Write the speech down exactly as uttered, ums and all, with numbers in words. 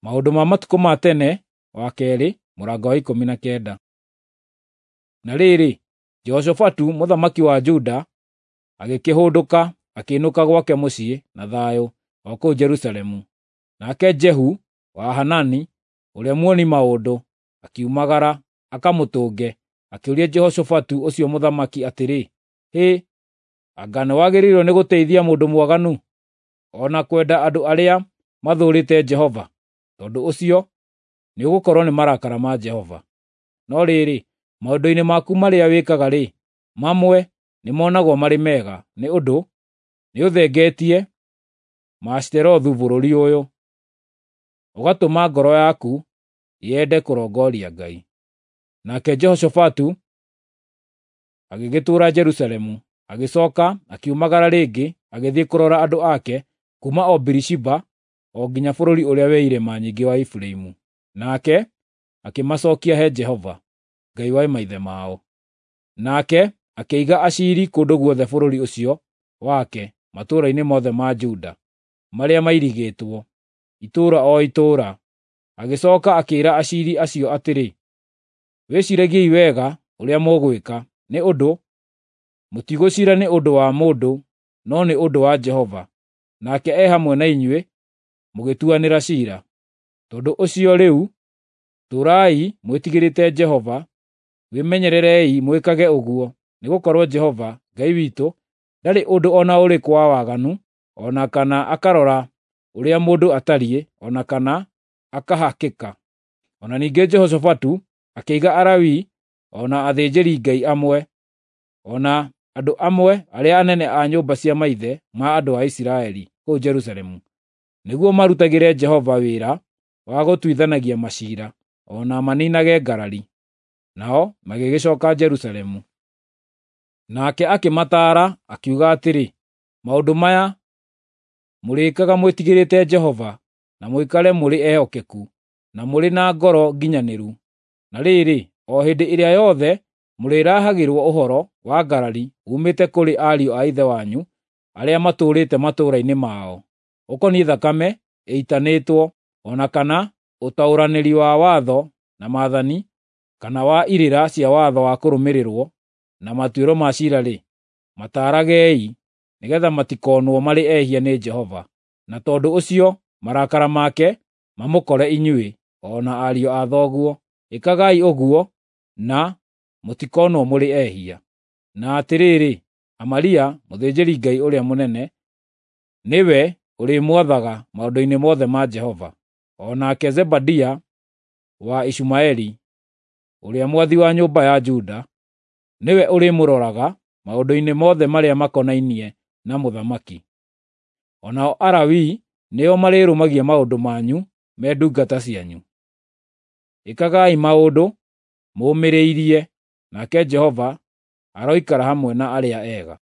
Maũndũ ma matukũ ma tene wa keerĩ mũrango wa ikũmi na kenda. Na rĩrĩ, Jehoshafatu mũthamaki wa Juda agĩkĩhũndũka akĩinũka gwake mũciĩ na thayũ o kũu Jerusalemu. Nake Jehu wa Hanani, ũrĩa muoni maũndũ, akiumagara akamũtũnge, akĩũria Jehoshafatu ũcio mũthamaki atĩrĩ, “Hĩ, anga nĩwagĩrĩirwo nĩ gũteithia mũndũ mwaganu, o na kwenda andũ arĩa mathũũrĩte Jehova? Tondũ ũcio nĩũgũkorwo nĩ marakara ma Jehova. No rĩrĩ, maũndũ-inĩ maku marĩa wĩkaga-rĩ, mamwe nĩmonagwo marĩ mega, nĩ ũndũ nĩũthengetie Maashitorethu bũrũri ũyũ, ũgatũma ngoro yaku yende kũrongoria Ngai.” Nake Jehoshafatu agĩgĩtũũra Jerusalemu, agĩcooka akiumagara rĩngĩ agĩthiĩ kũrora andũ ake kuuma o Birishiba o nginya bũrũri ũrĩa wĩ irĩma nyingĩ wa Efiraimu. Nake akĩmacookia he Jehova, Ngai wa maithe mao. Nake akĩiga aciiri kũndũ guothe bũrũri ũcio wake matũũra-inĩ mothe ma Juda marĩa mairigĩtwo, itũũra o itũũra. Agĩcooka akĩĩra aciiri acio atĩrĩ, “Wĩciiragiei wega ũrĩa mũgwĩka, nĩ ũndũ mũtigũciira nĩ ũndũ wa mũndũ no nĩ ũndũ wa Jehova, nake e hamwe na inyuĩ mũgĩtuanĩra ciira. Tondũ ũcio rĩu tũũrai mwĩtigĩrĩte Jehova, wĩmenyererei mwĩkage ũguo, nĩgũkorwo Jehova Ngai witũ ndarĩ ũndũ o na ũrĩkũ wa waganu, o na kana akarora ũrĩa mũndũ atariĩ, o na kana akahakĩka.” O na ningĩ Jehoshafatu akĩiga Alawii o na athĩnjĩri-Ngai amwe, o na andũ amwe arĩa anene a nyũmba cia maithe ma andũ a Isiraeli kũu Jerusalemu, nĩguo marutagĩre Jehova wĩra wa gũtuithanagia maciira, o na maniinage ngarari. Nao magĩgĩcooka Jerusalemu. Nake akĩmataara, akiuga atĩrĩ, “Maũndũ maya mũrĩĩkaga mwĩtigĩrĩte Jehova, na mũikare mũrĩ ehokeku, na mũrĩ na ngoro nginyanĩru. Na rĩrĩ, o hĩndĩ ĩrĩa yothe mũrĩrahagĩrwo ũhoro wa ngarari uumĩte kũrĩ ariũ a ithe wanyu arĩa matũũrĩte matũũra-inĩ mao, ũkoniĩ thakame ĩitanĩtwo, o na kana ũtaũranĩri wa watho na maathani, kana wa irĩra cia watho wa kũrũmĩrĩrwo na matuĩro ma ciira-rĩ, mataaragei, nĩgeetha matikonwo marĩ ehia nĩ Jehova, na tondũ ũcio marakara make mamũkore inyuĩ, o na ariũ a thoguo. Ĩkagai ũguo na mũtikonwo mũrĩ ehia. Na atĩrĩrĩ, Amaria mũthĩnjĩri-Ngai ũrĩa mũnene nĩwe ũrĩmwathaga maũndũ-inĩ mothe ma Jehova, o nake Zebadia wa Ishumaeli, ũrĩa mwathi wa nyũmba ya Juda, nĩwe ũrĩmũroraga maũndũ-inĩ mothe marĩa makonainie na mũthamaki. O nao Alawii nĩo marĩrũmagia maũndũ manyu me ndungata cianyu. Ĩkagai maũndũ mũũmĩrĩirie, nake Jehova aroikara hamwe na arĩa ega.